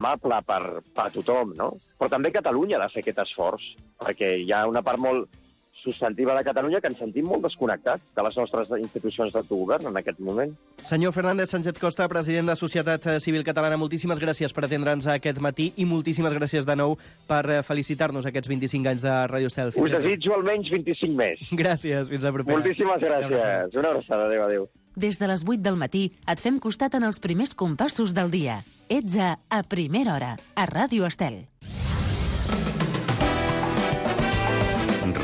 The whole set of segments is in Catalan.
amable per tothom, no? Però també Catalunya ha de fer aquest esforç, perquè hi ha una part molt substantiva de Catalunya que ens sentim molt desconnectats de les nostres institucions d'autogovern en aquest moment. Senyor Fernández Sánchez Costa, president de Societat Civil Catalana, moltíssimes gràcies per atendre'ns aquest matí i moltíssimes gràcies de nou per felicitar-nos aquests 25 anys de Ràdio Estel. Us desitjo almenys 25 més. Gràcies, fins la propera. Moltíssimes gràcies. Una abraçada, adéu. Des de les 8 del matí et fem costat en els primers compassos del dia. Ets a Primera Hora, a Ràdio Estel.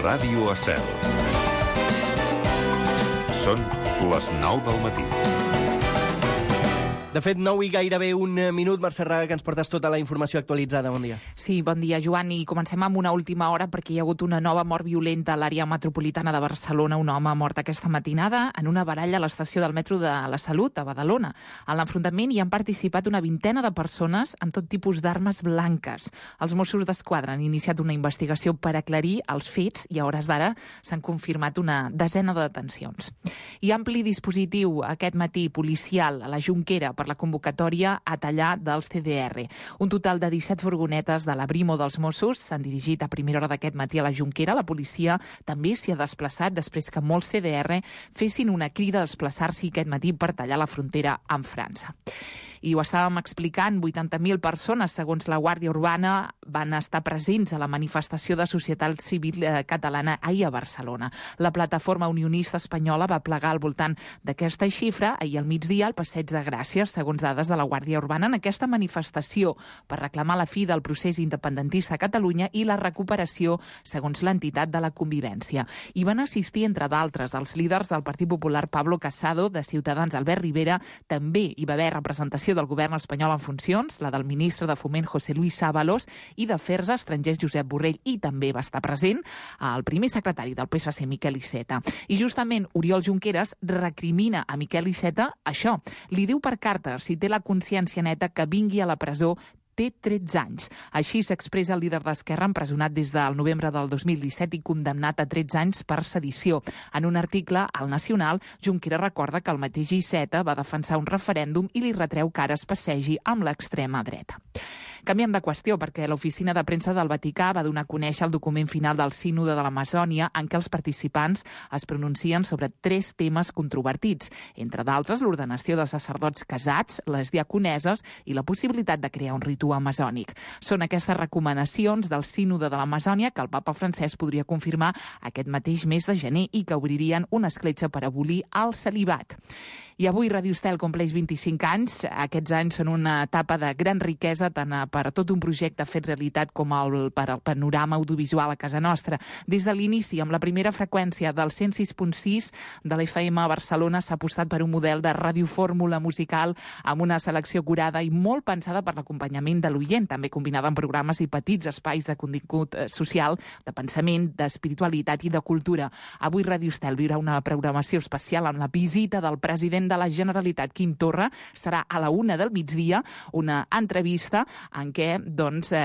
Ràdio Estel. Són les 9 del matí. De fet, 9 i gairebé un minut. Mercè Raga, que ens portes tota la informació actualitzada. Bon dia. Sí, bon dia, Joan. I comencem amb una última hora perquè hi ha hagut una nova mort violenta a l'àrea metropolitana de Barcelona. Un home mort aquesta matinada en una baralla a l'estació del metro de la Salut, a Badalona. En l'enfrontament hi han participat una vintena de persones amb tot tipus d'armes blanques. Els Mossos d'Esquadra han iniciat una investigació per aclarir els fets i a hores d'ara s'han confirmat una desena de detencions. Hi ha ampli dispositiu aquest matí policial a la Jonquera per la convocatòria a tallar dels CDR. Un total de 17 furgonetes de la Brimo dels Mossos s'han dirigit a primera hora d'aquest matí a la Jonquera. La policia també s'hi ha desplaçat després que molts CDR fessin una crida a desplaçar-s'hi aquest matí per tallar la frontera amb França. I ho estàvem explicant, 80.000 persones, segons la Guàrdia Urbana, van estar presents a la manifestació de Societat Civil Catalana ahir a Barcelona. La plataforma unionista espanyola va plegar al voltant d'aquesta xifra ahir al migdia al Passeig de Gràcia, segons dades de la Guàrdia Urbana, en aquesta manifestació per reclamar la fi del procés independentista a Catalunya i la recuperació, segons l'entitat, de la convivència. Hi van assistir, entre d'altres, els líders del Partit Popular Pablo Casado, de Ciutadans Albert Rivera, també hi va haver representació del govern espanyol en funcions, la del ministre de Foment José Luis Ábalos i d'Afers Estrangers Josep Borrell, i també va estar present el primer secretari del PSC, Miquel Iceta. I justament Oriol Junqueras recrimina a Miquel Iceta això. Li diu per carta, si té la consciència neta, que vingui a la presó, té 13 anys. Així s'expressa el líder d'Esquerra, empresonat des del novembre del 2017 i condemnat a 13 anys per sedició. En un article al Nacional, Junqueras recorda que el mateix Iceta va defensar un referèndum i li retreu que ara es passegi amb l'extrema dreta. Canviem de qüestió perquè l'oficina de premsa del Vaticà va donar a conèixer el document final del Sínode de l'Amazònia en què els participants es pronuncien sobre 3 temes controvertits, entre d'altres l'ordenació de sacerdots casats, les diaconeses i la possibilitat de crear un ritu amazònic. Són aquestes recomanacions del Sínode de l'Amazònia que el papa Francesc podria confirmar aquest mateix mes de gener i que obririen una escletxa per abolir el celibat. I avui Ràdio Estel compleix 25 anys. Aquests anys són una etapa de gran riquesa tant per a tot un projecte fet realitat com per al panorama audiovisual a casa nostra. Des de l'inici, amb la primera freqüència del 106.6 de l'FM a Barcelona, s'ha apostat per un model de radiofórmula musical amb una selecció curada i molt pensada per l'acompanyament de l'oient, també combinada amb programes i petits espais de contingut social, de pensament, d'espiritualitat i de cultura. Avui Ràdio Estel viurà una programació especial amb la visita del president de la Generalitat, Quim Torra. Serà a la 1 del migdia una entrevista en què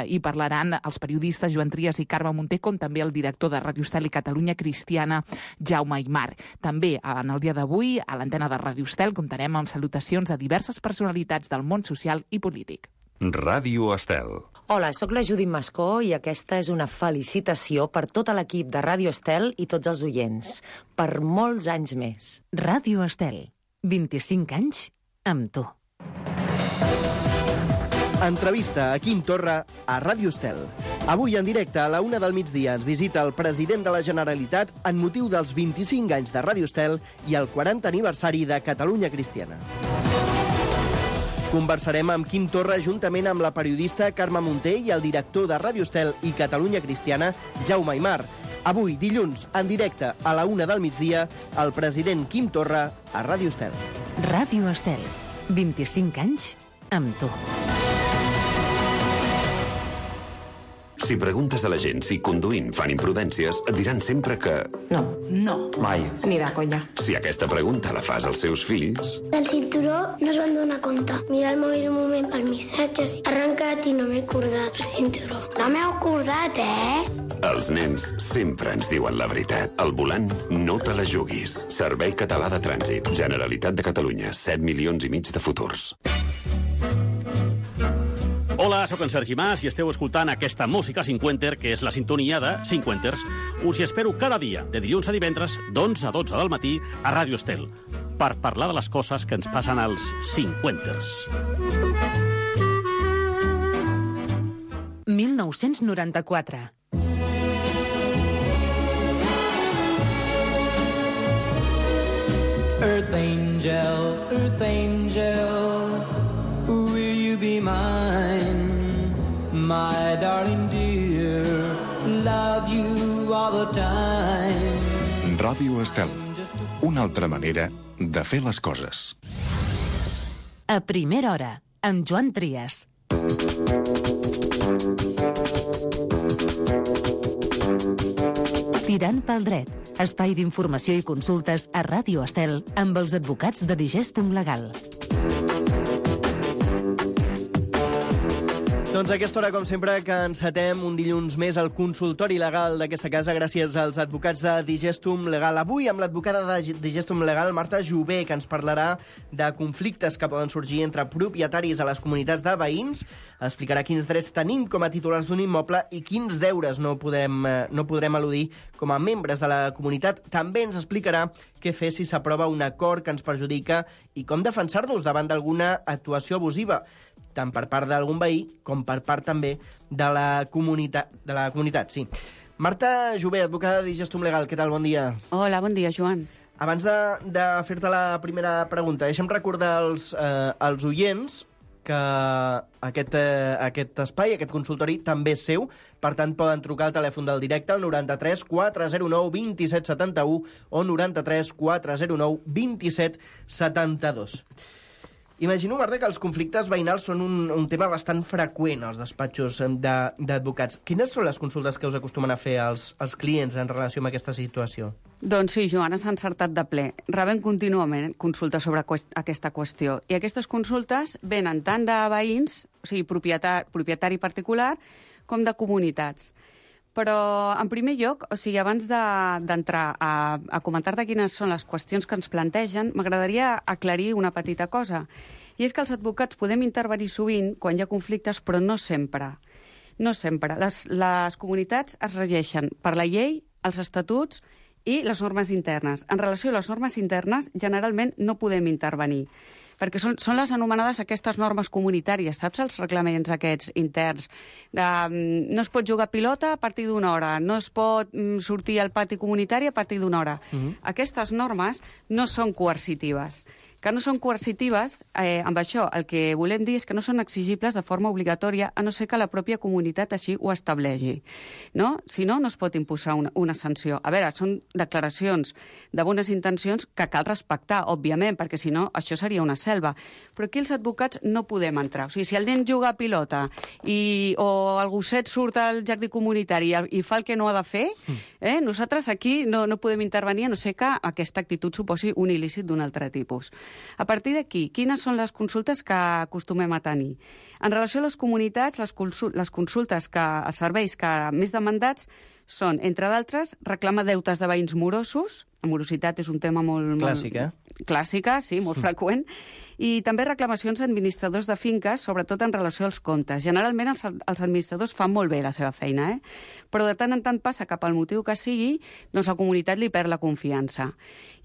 hi parlaran els periodistes Joan Trias i Carme Munté, com també el director de Ràdio Estel i Catalunya Cristiana, Jaume Aymar. També en el dia d'avui, a l'antena de Ràdio Estel, comptarem amb salutacions a diverses personalitats del món social i polític. Ràdio Estel. Hola, sóc la Judit Mascó i aquesta és una felicitació per tot l'equip de Ràdio Estel i tots els oients. Per molts anys més. Ràdio Estel. 25 anys amb tu. Entrevista a Quim Torra a Ràdio Estel. Avui en directe a la 1 del migdia ens visita el president de la Generalitat en motiu dels 25 anys de Ràdio Estel i el 40 aniversari de Catalunya Cristiana. Conversarem amb Quim Torra juntament amb la periodista Carme Munté i el director de Ràdio Estel i Catalunya Cristiana, Jaume Aymar. Avui, dilluns, en directe a la 1 del migdia, el president Quim Torra a Ràdio Estel. Ràdio Estel. 25 anys amb tu. Si preguntes a la gent si conduint fan imprudències, et diran sempre que... No. Mai. Ni de conya. Si aquesta pregunta la fas als seus fills... Del cinturó no es van donar compte. Mirar el mòbil un moment per missatges. Arrencat i no m'he acordat el cinturó. No m'he acordat, Els nens sempre ens diuen la veritat. Al volant, no te la juguis. Servei Català de Trànsit. Generalitat de Catalunya. 7,5 milions de futurs. Hola, sóc en Sergi Mas i esteu escoltant aquesta música cinquenter, que és la sintonia de Cinquenters. Us hi espero cada dia, de dilluns a divendres, d'11 a 12 del matí, a Ràdio Estel, per parlar de les coses que ens passen als cinquenters. 1994. Earth angel, will you be mine? My darling dear, love you all the time. Ràdio Estel, una altra manera de fer les coses. A primera hora, amb Joan Trias. Tirant pel dret, espai d'informació i consultes a Ràdio Estel amb els advocats de Digestum Legal. Doncs a aquesta hora, com sempre, que encetem un dilluns més al consultori legal d'aquesta casa gràcies als advocats de Digestum Legal. Avui amb l'advocada de Digestum Legal, Marta Jové, que ens parlarà de conflictes que poden sorgir entre propietaris a les comunitats de veïns, explicarà quins drets tenim com a titulars d'un immoble i quins deures no podrem eludir com a membres de la comunitat. També ens explicarà què fer si s'aprova un acord que ens perjudica i com defensar-nos davant d'alguna actuació abusiva, tant per part d'algun veí com per part també de la comunitat. Sí. Marta Jové, advocada de Digestum Legal, què tal? Bon dia. Hola, bon dia, Joan. Abans de fer-te la primera pregunta, deixa'm recordar als oients que aquest espai, aquest consultori, també és seu. Per tant, poden trucar al telèfon del directe al 93 409 27 71 o 93 409 27 72. Imagino, Marta, que els conflictes veïnals són un tema bastant freqüent als despatxos d'advocats. Quines són les consultes que us acostumen a fer als clients en relació amb aquesta situació? Doncs sí, Joan, has encertat de ple. Rebem contínuament consultes sobre aquesta qüestió. I aquestes consultes venen tant de veïns, o sigui, propietari particular, com de comunitats. Però, en primer lloc, o sigui, abans d'entrar a comentar-te quines són les qüestions que ens plantegen, m'agradaria aclarir una petita cosa. I és que els advocats podem intervenir sovint quan hi ha conflictes, però no sempre. No sempre. Les comunitats es regeixen per la llei, els estatuts i les normes internes. En relació a les normes internes, generalment no podem intervenir, perquè són les anomenades aquestes normes comunitàries, saps, els reglaments aquests interns. No es pot jugar a pilota a partir d'una hora, no es pot sortir al pati comunitari a partir d'una hora. Aquestes normes no són coercitives. Que no són coercitives, amb això el que volem dir és que no són exigibles de forma obligatòria, a no ser que la pròpia comunitat així ho estableixi. No? Si no, no es pot imposar una sanció. A veure, són declaracions de bones intencions que cal respectar, òbviament, perquè si no, això seria una selva. Però aquí els advocats no podem entrar. O sigui, si el nen juga a pilota o el gosset surt al jardí comunitari i fa el que no ha de fer, nosaltres aquí no podem intervenir, a no ser que aquesta actitud suposi un il·lícit d'un altre tipus. A partir d'aquí, quines són les consultes que acostumem a tenir? En relació a les comunitats, les consultes els serveis que més demandats són, entre d'altres, reclamar deutes de veïns morosos. La morositat és un tema molt... Clàssica. Clàssica, sí, molt freqüent. I també reclamacions a administradors de finques, sobretot en relació als comptes. Generalment els administradors fan molt bé la seva feina, però de tant en tant passa que pel motiu que sigui, doncs la comunitat li perd la confiança.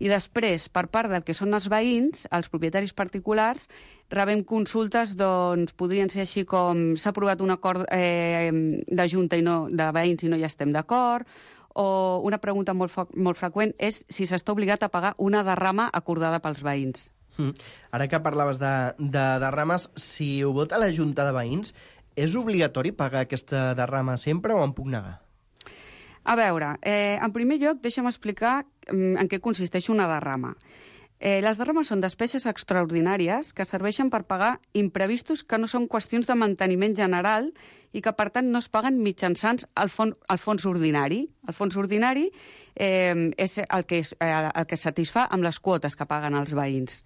I després, per part del que són els veïns, els propietaris particulars, rebem consultes, doncs, podrien ser així com s'ha aprovat un acord de junta de veïns i no hi estem d'acord, o una pregunta molt freqüent és si s'està obligat a pagar una derrama acordada pels veïns. Ara que parlaves de derrames, si ho vota la Junta de Veïns, és obligatori pagar aquesta derrama sempre o em puc negar? A veure, en primer lloc, deixa'm explicar en què consisteix una derrama. Les derrames són despeses extraordinàries que serveixen per pagar imprevistos que no són qüestions de manteniment general i que, per tant, no es paguen mitjançant el fons ordinari. El fons ordinari és el que satisfà amb les quotes que paguen els veïns.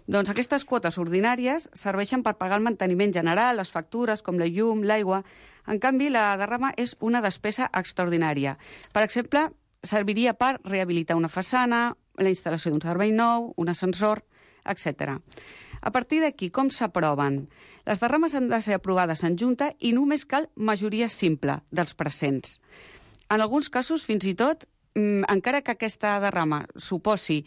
Doncs aquestes quotes ordinàries serveixen per pagar el manteniment general, les factures, com la llum, l'aigua. En canvi, la derrama és una despesa extraordinària. Per exemple, serviria per rehabilitar una façana, la instal·lació d'un servei nou, un ascensor. etc. A partir d'aquí, com s'aproven? Les derrames han de ser aprovades en junta i només cal majoria simple dels presents. En alguns casos, fins i tot, encara que aquesta derrama suposi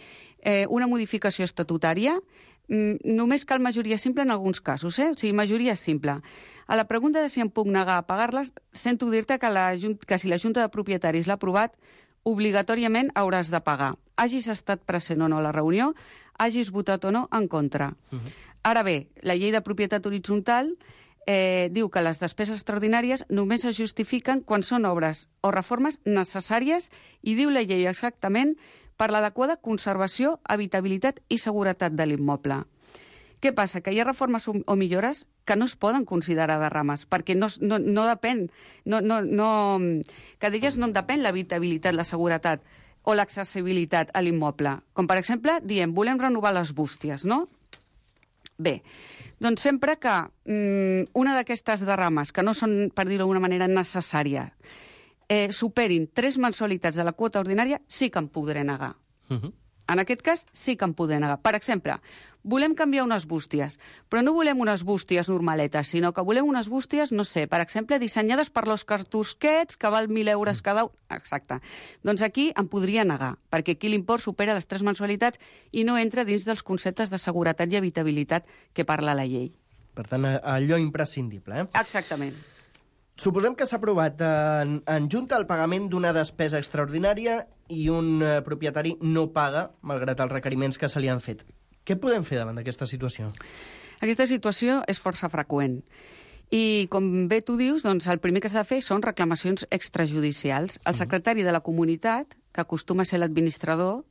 una modificació estatutària, només cal majoria simple en alguns casos, O sigui, majoria simple. A la pregunta de si em puc negar a pagar-les, sento dir-te que si la Junta de Propietaris l'ha aprovat, obligatòriament hauràs de pagar. Hagis estat present o no a la reunió, hagis votat o no en contra. Ara bé, la llei de propietat horitzontal diu que les despeses extraordinàries només es justifiquen quan són obres o reformes necessàries i diu la llei exactament per l'adequada conservació, habitabilitat i seguretat de l'immoble. Què passa? Que hi ha reformes o millores que no es poden considerar derrames, perquè no depèn, que d'elles no en depèn l'habitabilitat, la seguretat o l'accessibilitat a l'immoble. Com, per exemple, diem, volem renovar les bústies, no? Bé, doncs sempre que una d'aquestes derrames, que no són, per dir-ho d'una manera, necessària, superin 3 mensualitats de la quota ordinària, sí que em podré negar. En aquest cas, sí que em podré negar. Per exemple, volem canviar unes bústies, però no volem unes bústies normaletes, sinó que volem unes bústies, no sé, per exemple, dissenyades per l'Òscar Tusquets, que val 1.000 euros cada un. Exacte. Doncs aquí em podria negar, perquè aquí l'import supera les 3 mensualitats i no entra dins dels conceptes de seguretat i habitabilitat que parla la llei. Per tant, allò imprescindible, Exactament. Suposem que s'ha aprovat en junta el pagament d'una despesa extraordinària i un propietari no paga, malgrat els requeriments que se li han fet. Què podem fer davant d'aquesta situació? Aquesta situació és força freqüent. I, com bé tu dius, doncs, el primer que s'ha de fer són reclamacions extrajudicials. El secretari de la comunitat, que acostuma a ser l'administrador,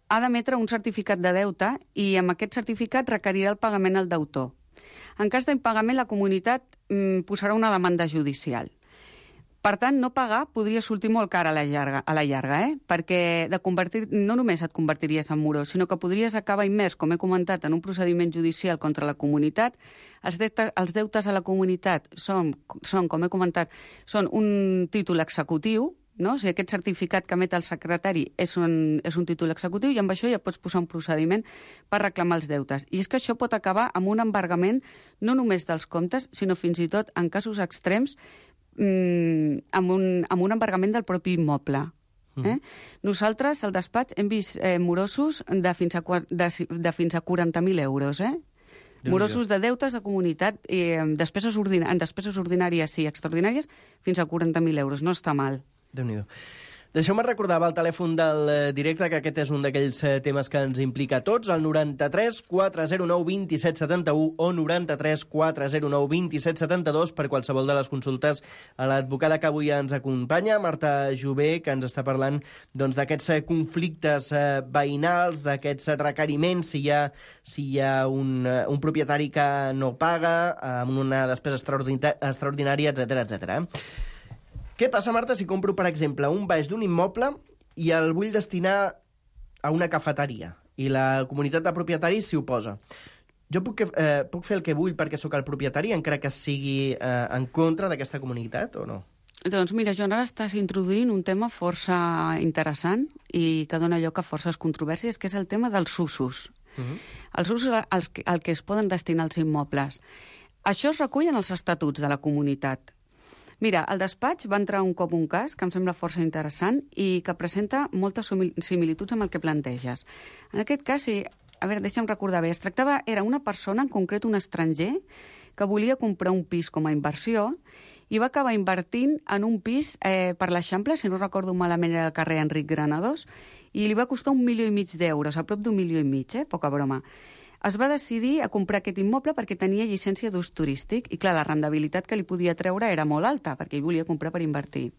ha d'emetre un certificat de deute i amb aquest certificat requerirà el pagament al deutor. En cas d'impagament, la comunitat posarà una demanda judicial. Per tant, no pagar podria sortir molt car a la llarga, perquè no només et convertiries en morós, sinó que podries acabar immers, com he comentat, en un procediment judicial contra la comunitat. Els deutes a la comunitat són, com he comentat, són un títol executiu, no? O sigui, aquest certificat que emet el secretari és un títol executiu i amb això ja pots posar un procediment per reclamar els deutes. I és que això pot acabar amb un embargament no només dels comptes, sinó fins i tot, en casos extrems, amb un embargament del propi immoble. Nosaltres, al despatx, hem vist morosos de fins a 40.000 euros, morosos de deutes de comunitat en despeses ordinàries i extraordinàries fins a 40.000 euros. No està mal. Déu-n'hi-do. Deixeu-me recordar el telèfon del directe, que aquest és un d'aquells temes que ens implica a tots, el 93 409 2771 o 93 409 2772 per qualsevol de les consultes a l'advocada que avui ens acompanya, Marta Jové, que ens està parlant d'aquests conflictes veïnals, d'aquests requeriments, si hi ha un propietari que no paga, amb una despesa extraordinària, etc. Què passa, Marta, si compro, per exemple, un baix d'un immoble i el vull destinar a una cafeteria i la comunitat de propietaris s'hi oposa? Jo puc fer el que vull perquè sóc el propietari, encara que sigui en contra d'aquesta comunitat, o no? Doncs mira, Joan, ara estàs introduint un tema força interessant i que dona lloc a forces controvèrsies, que és el tema dels usos. Els usos al que es poden destinar els immobles. Això es recull en els estatuts de la comunitat. Mira, al despatx va entrar un cop un cas que em sembla força interessant i que presenta moltes similituds amb el que planteges. En aquest cas, deixa'm recordar bé, era una persona, en concret un estranger, que volia comprar un pis com a inversió i va acabar invertint en un pis per l'Eixample, si no recordo malament era el carrer Enric Granados, i li va costar 1,5 milions d'euros, a prop d'1,5 milions, poca broma. Es va decidir a comprar aquest immoble perquè tenia llicència d'ús turístic i, clar, la rendibilitat que li podia treure era molt alta perquè ell volia comprar per invertir.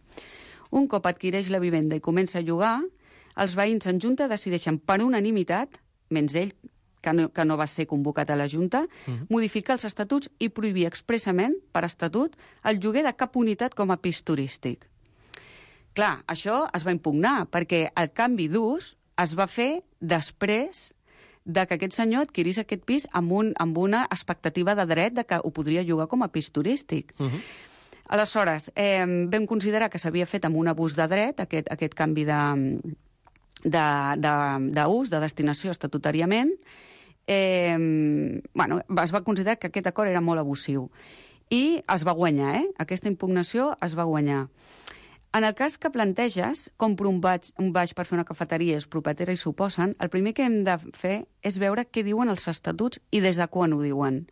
Un cop adquireix la vivenda i comença a llogar, els veïns en junta decideixen per unanimitat, menys ell, que no va ser convocat a la Junta, modificar els estatuts i prohibir expressament, per estatut, el lloguer de cap unitat com a pis turístic. Clar, això es va impugnar perquè el canvi d'ús es va fer després de que aquest senyor adquirís aquest pis amb una expectativa de dret de que ho podria llogar com a pis turístic. Aleshores, vam considerar que s'havia fet amb un abús de dret aquest canvi d'ús, de destinació estatutàriament, es va considerar que aquest acord era molt abusiu. I es va guanyar, Aquesta impugnació es va guanyar. En el cas que planteges, compro un baix per fer una cafeteria, els propietaris s'oposen, el primer que hem de fer és veure què diuen els estatuts i des de quan ho diuen.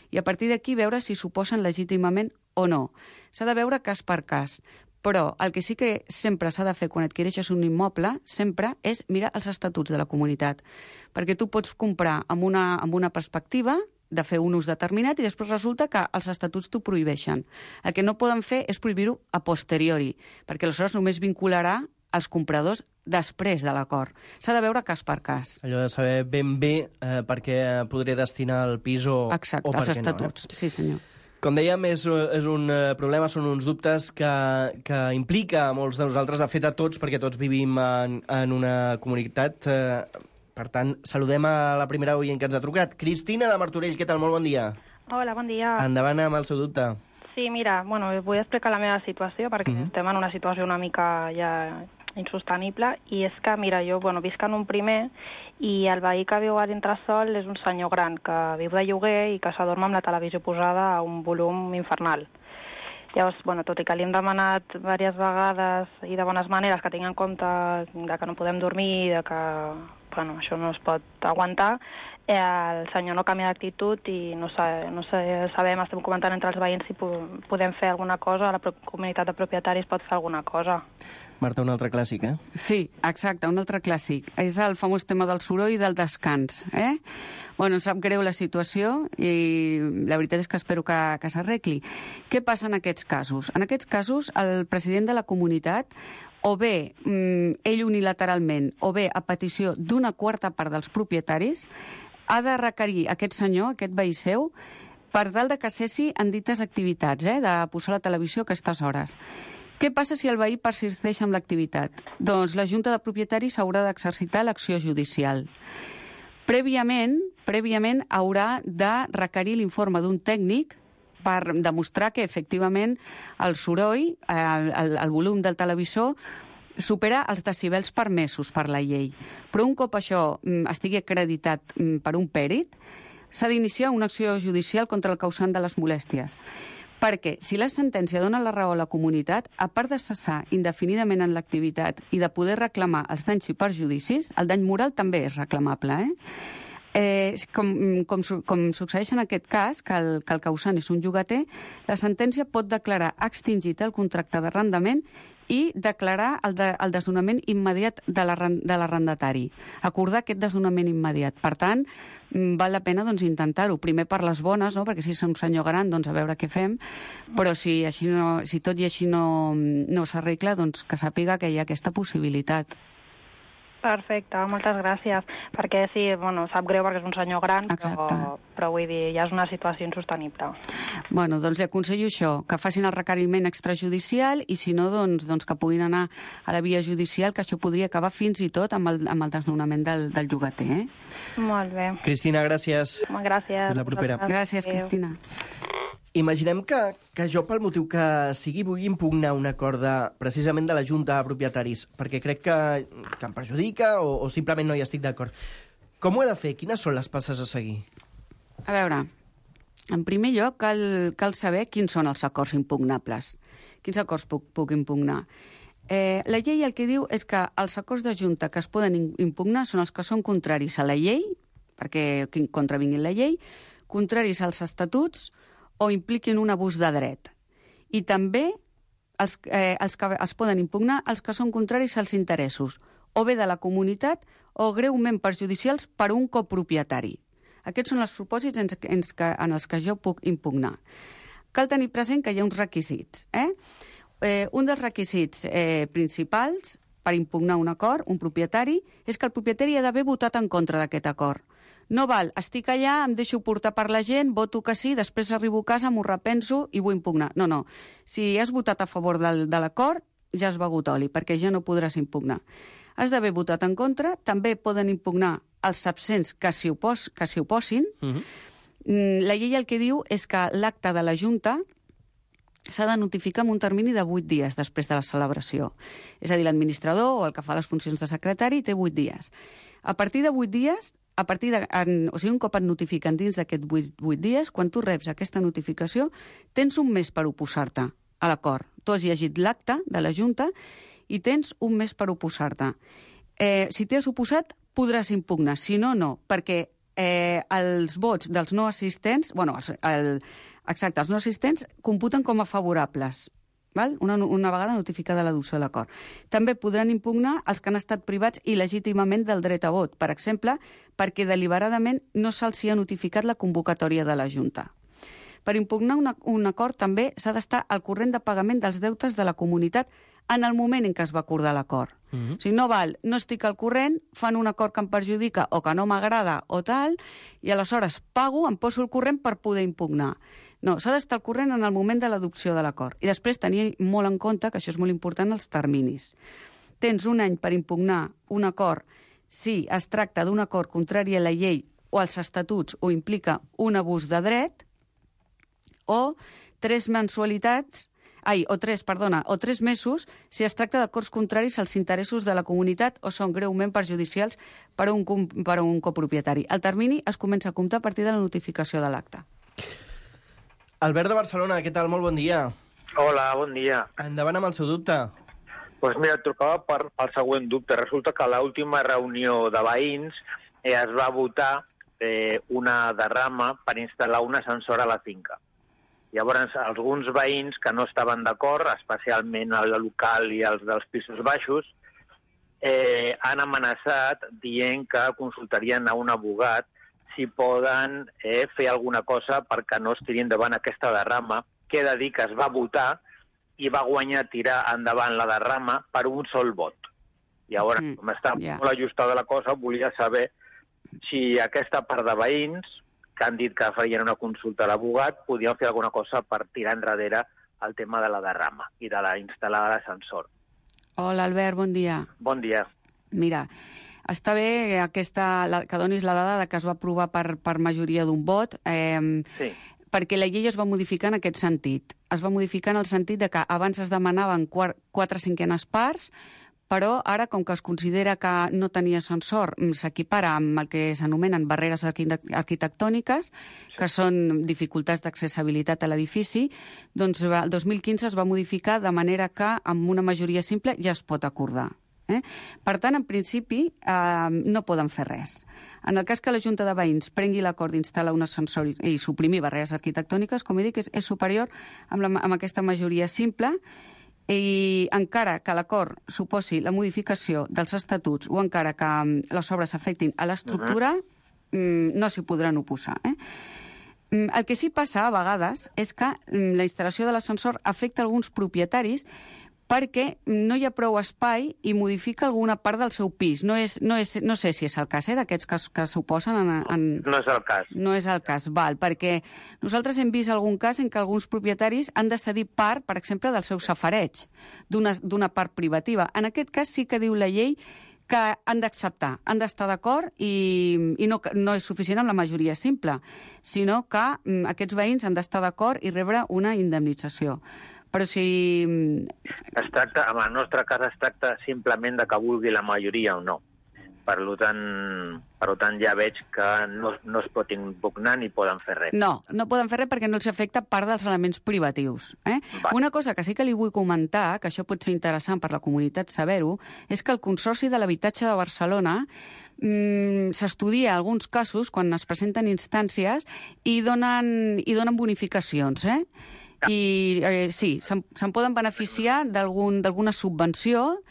I a partir d'aquí veure si s'oposen legítimament o no. S'ha de veure cas per cas. Però el que sí que sempre s'ha de fer quan adquireixes un immoble, sempre és mirar els estatuts de la comunitat. Perquè tu pots comprar amb una perspectiva de fer un ús determinat i després resulta que els estatuts t'ho prohibeixen. El que no poden fer és prohibir-ho a posteriori, perquè aleshores només vincularà els compradors després de l'acord. S'ha de veure cas per cas. Allò de saber ben bé per què podré destinar el pis o per què no. Exacte, els estatuts, sí senyor. Com dèiem, és un problema, són uns dubtes que implica a molts de nosaltres, de fet a tots, perquè tots vivim en una comunitat. Per tant, saludem a la primera oient que ens ha trucat. Cristina de Martorell, què tal? Molt bon dia. Hola, bon dia. Endavant amb el seu dubte. Sí, mira, vull explicar la meva situació, perquè estem en una situació una mica ja insostenible, i és que, mira, jo visc en un primer i el veí que viu a l'entresòl és un senyor gran que viu de lloguer i que s'adorma amb la televisió posada a un volum infernal. Llavors, tot i que li hem demanat diverses vegades i de bones maneres que tingui en compte de que no podem dormir, de que això no es pot aguantar, el senyor no canvia d'actitud i no sabem, estem comentant entre els veïns si podem fer alguna cosa, la comunitat de propietaris pot fer alguna cosa. Marta, un altre clàssic, Sí, exacte, un altre clàssic. És el famós tema del soroll i del descans, sap greu la situació i la veritat és que espero que s'arregli. Què passa en aquests casos? En aquests casos, el president de la comunitat, o bé ell unilateralment, o bé a petició d'una quarta part dels propietaris, ha de requerir aquest senyor, aquest veí seu, per tal de que cessi en dites activitats, de posar la televisió a aquestes hores. Què passa si el veí persisteix amb l'activitat? Doncs la Junta de Propietaris haurà d'exercitar l'acció judicial. Prèviament haurà de requerir l'informe d'un tècnic per demostrar que, efectivament, el soroll, el volum del televisor, supera els decibels permesos per la llei. Però un cop això estigui acreditat per un pèrit, s'ha d'iniciar una acció judicial contra el causant de les molèsties. Perquè si la sentència dona la raó a la comunitat, a part de cessar indefinidament en l'activitat i de poder reclamar els danys i perjudicis, el dany moral també és reclamable, com succeeix en aquest cas, que el causant és un llogater, la sentència pot declarar extingit el contracte d'arrendament i declarar el desnonament immediat de l'arrendatari. Acordar aquest desnonament immediat. Per tant, val la pena intentar-ho. Primer per les bones, perquè si és un senyor gran, a veure què fem, però si tot i així no s'arregla, que sàpiga que hi ha aquesta possibilitat. Perfecte, moltes gràcies. Perquè sí, sap greu perquè és un senyor gran, però vull dir, ja és una situació insostenible. Doncs li aconsello això, que facin el requeriment extrajudicial i si no, doncs que puguin anar a la via judicial, que això podria acabar fins i tot amb el desnonament del llogater. Molt bé. Cristina, gràcies. Gràcies. Fins la propera. Gràcies, Cristina. Imaginem que jo, pel motiu que sigui, vull impugnar un acord precisament de la Junta de Propietaris, perquè crec que em perjudica o simplement no hi estic d'acord. Com ho he de fer? Quines són les passes a seguir? A veure, en primer lloc cal saber quins són els acords impugnables. Quins acords puc impugnar? La llei el que diu és que els acords de Junta que es poden impugnar són els que són contraris a la llei, perquè contravinguin la llei, contraris als estatuts, o impliquin un abús de dret. I també els que es poden impugnar els que són contraris als interessos, o bé de la comunitat o greument perjudicials per un copropietari. Aquests són els supòsits en els que jo puc impugnar. Cal tenir present que hi ha uns requisits. Un dels requisits principals per impugnar un acord, un propietari, és que el propietari ha d'haver votat en contra d'aquest acord. No val, estic allà, em deixo portar per la gent, voto que sí, després arribo a casa, m'ho repenso i vull impugnar. No. Si has votat a favor de l'acord, ja has begut oli, perquè ja no podràs impugnar. Has d'haver votat en contra, també poden impugnar els absents que s'hi oposin. La llei el que diu és que l'acte de la Junta s'ha de notificar en un termini de 8 dies després de la celebració. És a dir, l'administrador o el que fa les funcions de secretari té 8 dies. A partir de 8 dies a partir de... O sigui, un cop et notifiquen dins d'aquests 8 dies, quan tu reps aquesta notificació, tens un mes per oposar-te a l'acord. Tu has llegit l'acte de la Junta i tens un mes per oposar-te. Si t'hi has oposat, podràs impugnar. Si no, no, perquè els vots dels no assistents, els no assistents computen com a favorables, val? Una vegada notificada l'adopció de l'acord. També podran impugnar els que han estat privats il·legítimament del dret a vot, per exemple, perquè deliberadament no se'ls ha notificat la convocatòria de la Junta. Per impugnar un acord també s'ha d'estar al corrent de pagament dels deutes de la comunitat en el moment en què es va acordar l'acord. O sigui, no val, no estic al corrent, fan un acord que em perjudica o que no m'agrada o tal, i aleshores pago, em poso al corrent per poder impugnar. No, s'ha d'estar al corrent en el moment de l'adopció de l'acord. I després tenir molt en compte, que això és molt important, els terminis. Tens un any per impugnar un acord si es tracta d'un acord contrari a la llei o als estatuts o implica un abús de dret, o 3 mesos si es tracta d'acords contraris als interessos de la comunitat o són greument perjudicials per a un copropietari. El termini es comença a comptar a partir de la notificació de l'acte. Albert de Barcelona, què tal? Molt bon dia. Hola, bon dia. Endavant amb el seu dubte. Doncs mira, et trucava pel següent dubte. Resulta que a l'última reunió de veïns es va votar una derrama per instal·lar un ascensor a la finca. Llavors, alguns veïns que no estaven d'acord, especialment el local i els dels pisos baixos, han amenaçat dient que consultarien a un abogat si poden fer alguna cosa perquè no es tiri endavant aquesta derrama, que he de dir que es va votar i va guanyar tirar endavant la derrama per un sol vot. Llavors, com està molt ajustada la cosa, volia saber si aquesta part de veïns que han dit que farien una consulta a l'abogat, podien fer alguna cosa per tirar enrere el tema de la derrama i de la instal·lada de l'ascensor. Hola, Albert, bon dia. Bon dia. Mira, està bé que donis la dada de que es va aprovar per majoria d'un vot, perquè la llei es va modificar en aquest sentit. Es va modificar en el sentit de que abans es demanaven 4/5 parts, però ara, com que es considera que no tenia ascensor, s'equipara amb el que s'anomenen barreres arquitectòniques, que són dificultats d'accessibilitat a l'edifici, doncs el 2015 es va modificar de manera que amb una majoria simple ja es pot acordar. Per tant, en principi, no poden fer res. En el cas que la Junta de Veïns prengui l'acord d'instal·lar un ascensor i suprimir barreres arquitectòniques, com he dit, és superior amb aquesta majoria simple, i encara que l'acord suposi la modificació dels estatuts o encara que les obres afectin a l'estructura, no s'hi podran oposar. El que sí passa a vegades és que la instal·lació de l'ascensor afecta alguns propietaris perquè no hi ha prou espai i modifica alguna part del seu pis. No sé si és el cas, d'aquests que s'oposen No és el cas. No és el cas, val, perquè nosaltres hem vist algun cas en què alguns propietaris han de cedir part, per exemple, del seu safareig, d'una part privativa. En aquest cas sí que diu la llei que han d'acceptar, han d'estar d'acord i no és suficient amb la majoria simple, sinó que aquests veïns han d'estar d'acord i rebre una indemnització. Però si... en el nostre cas es tracta simplement de que vulgui la majoria o no. Per tant, ja veig que no es pot impugnar ni poden fer res. No poden fer res perquè no els afecta part dels elements privatius. Una cosa que sí que li vull comentar, que això pot ser interessant per la comunitat saber-ho, és que el Consorci de l'Habitatge de Barcelona s'estudia alguns casos quan es presenten instàncies i donen bonificacions, i sí, se'n poden beneficiar d'alguna subvenció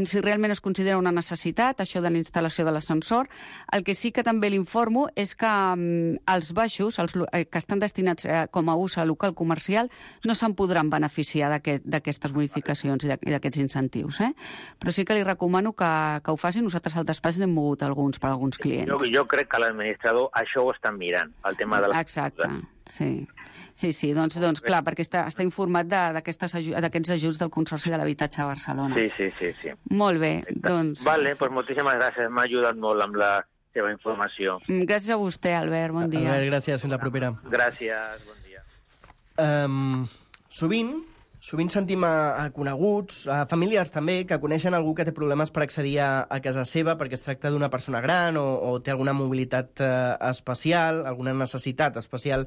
si realment es considera una necessitat, això de la instal·lació de l'ascensor. El que sí que també l'informo és que els baixos, que estan destinats com a ús a local comercial, no se'n podran beneficiar d'aquestes bonificacions i d'aquests incentius. Però sí que li recomano que ho facin. Nosaltres al despatx n'hem mogut alguns per alguns clients. Jo crec que l'administrador això ho estan mirant, el tema de les... Exacte, sí. Sí, doncs clar, perquè està informat d'aquests ajuts del Consorci de l'Habitatge de Barcelona. Sí. Molt bé, doncs... Vale, doncs moltíssimes gràcies, m'ha ajudat molt amb la seva informació. Gràcies a vostè, Albert, bon dia. Albert, gràcies, fins la propera. Gràcies, bon dia. Sovint Sovint sentim a coneguts, a familiars també, que coneixen algú que té problemes per accedir a casa seva perquè es tracta d'una persona gran o té alguna mobilitat especial, alguna necessitat especial.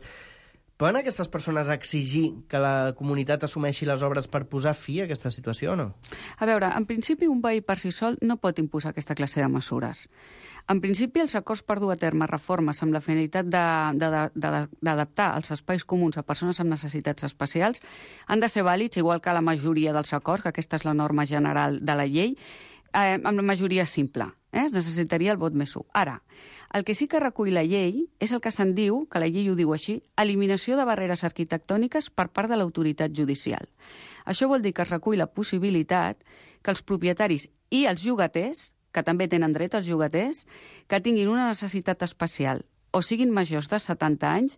Poden aquestes persones exigir que la comunitat assumeixi les obres per posar fi a aquesta situació o no? A veure, en principi un veí per si sol no pot imposar aquesta classe de mesures. En principi, els acords per dur a terme reformes amb la finalitat d'adaptar els espais comuns a persones amb necessitats especials han de ser vàlids, igual que la majoria dels acords, que aquesta és la norma general de la llei, amb la majoria simple. Es necessitaria el vot més 1. Ara, el que sí que recull la llei és el que se'n diu, que la llei ho diu així, eliminació de barreres arquitectòniques per part de l'autoritat judicial. Això vol dir que es recull la possibilitat que els propietaris i els llogaters, que també tenen dret als llogaters, que tinguin una necessitat especial o siguin majors de 70 anys,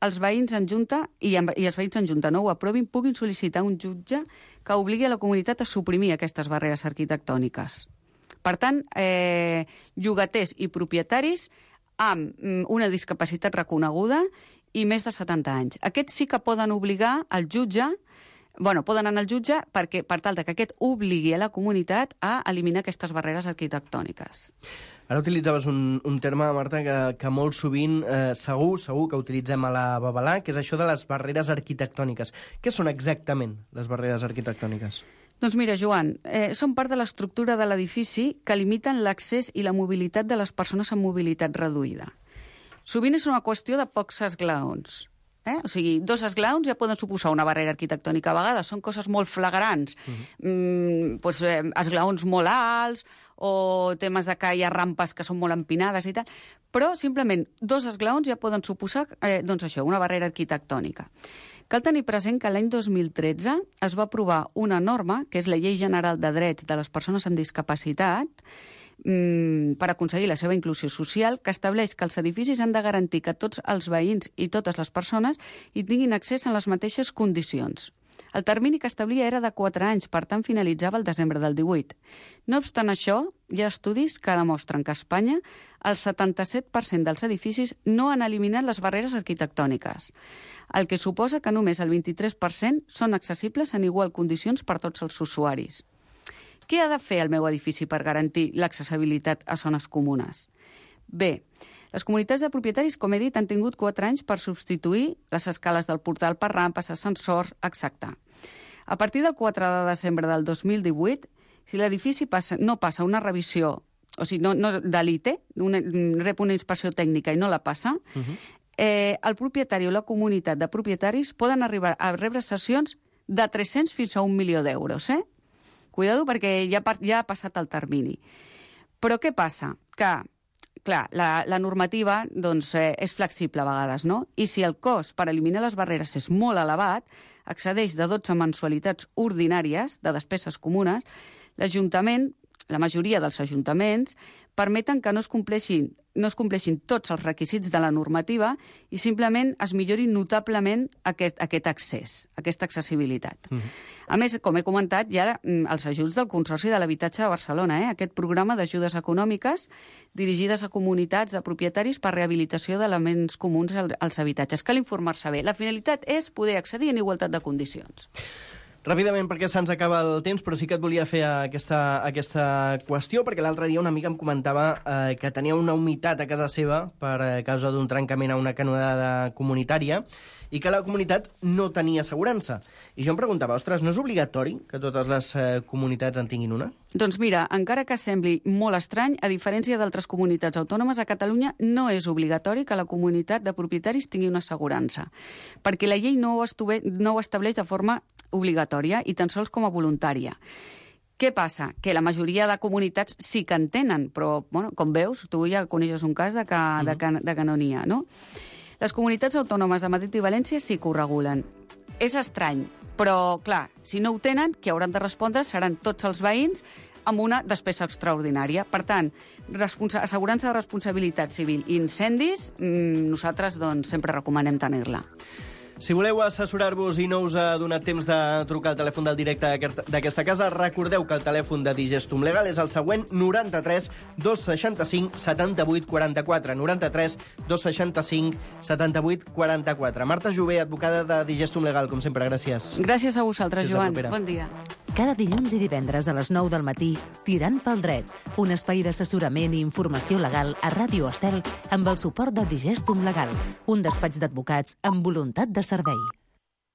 els veïns en junta, i els veïns en junta no ho aprovin, puguin sol·licitar un jutge que obligui a la comunitat a suprimir aquestes barreres arquitectòniques. Per tant, llogaters i propietaris amb una discapacitat reconeguda i més de 70 anys. Aquests sí que poden obligar al jutge, poden anar al jutge per tal que aquest obligui a la comunitat a eliminar aquestes barreres arquitectòniques. Ara utilitzaves un terme, Marta, que molt sovint, segur que utilitzem a la Babalà, que és això de les barreres arquitectòniques. Què són exactament les barreres arquitectòniques? Doncs mira, Joan, són part de l'estructura de l'edifici que limiten l'accés i la mobilitat de les persones amb mobilitat reduïda. Sovint és una qüestió de pocs esglaons. O sigui, 2 esglaons ja poden suposar una barrera arquitectònica. A vegades són coses molt flagrants, esglaons molt alts o temes de que hi ha rampes que són molt empinades i tal, però simplement 2 esglaons ja poden suposar una barrera arquitectònica. Cal tenir present que l'any 2013 es va aprovar una norma, que és la Llei General de Drets de les Persones amb Discapacitat, per aconseguir la seva inclusió social, que estableix que els edificis han de garantir que tots els veïns i totes les persones hi tinguin accés en les mateixes condicions. El termini que establia era de 4 anys, per tant finalitzava el desembre del 18. No obstant això, hi ha estudis que demostren que a Espanya el 77% dels edificis no han eliminat les barreres arquitectòniques, el que suposa que només el 23% són accessibles en igual condicions per tots els usuaris. Què ha de fer el meu edifici per garantir l'accessibilitat a zones comunes? Bé, les comunitats de propietaris, com he dit, han tingut 4 anys per substituir les escales del portal per rampes, ascensors, etc. A partir del 4 de desembre del 2018, si l'edifici no passa una revisió, o sigui, de l'ITE, rep una inspecció tècnica i no la passa, el propietari o la comunitat de propietaris poden arribar a rebre sancions de 300 fins a 1 milió d'euros, Cuidado, perquè ja ha passat el termini. Però què passa? Que, clar, la normativa és flexible a vegades, no? I si el cost per eliminar les barreres és molt elevat, excedeix de 12 mensualitats ordinàries de despeses comunes, l'Ajuntament, la majoria dels ajuntaments, permeten que no es compleixin tots els requisits de la normativa i simplement es millori notablement aquest accés, aquesta accessibilitat. A més, com he comentat, hi ha els ajuts del Consorci de l'Habitatge de Barcelona, aquest programa d'ajudes econòmiques dirigides a comunitats de propietaris per rehabilitació d'elements comuns als habitatges. Cal informar-se bé. La finalitat és poder accedir en igualtat de condicions. Ràpidament, perquè se'ns acaba el temps, però sí que et volia fer aquesta qüestió, perquè l'altre dia una amiga em comentava que tenia una humitat a casa seva per causa d'un trencament a una canonada comunitària i que la comunitat no tenia assegurança. I jo em preguntava, ostres, no és obligatori que totes les comunitats en tinguin una? Doncs mira, encara que sembli molt estrany, a diferència d'altres comunitats autònomes, a Catalunya no és obligatori que la comunitat de propietaris tingui una assegurança, perquè la llei no ho estableix de forma obligatòria i tan sols com a voluntària. Què passa? Que la majoria de comunitats sí que en tenen, però, com veus, tu ja coneixes un cas de que no n'hi ha, no? Les comunitats autònomes de Madrid i València sí que ho regulen. És estrany, però, clar, si no ho tenen, qui hauran de respondre seran tots els veïns amb una despesa extraordinària. Per tant, assegurança de responsabilitat civil i incendis, nosaltres sempre recomanem tenir-la. Si voleu assessorar-vos i no us ha donat temps de trucar al telèfon del directe d'aquesta casa, recordeu que el telèfon de Digestum Legal és el següent: 93 265 78 44. 93 265 78 44. Marta Jové, advocada de Digestum Legal, com sempre, gràcies. Gràcies a vosaltres, Joan. Bon dia. Cada dilluns i divendres a les 9 del matí, Tirant pel dret, un espai d'assessorament i informació legal a Ràdio Estel amb el suport de Digestum Legal, un despatx d'advocats amb voluntat de servei.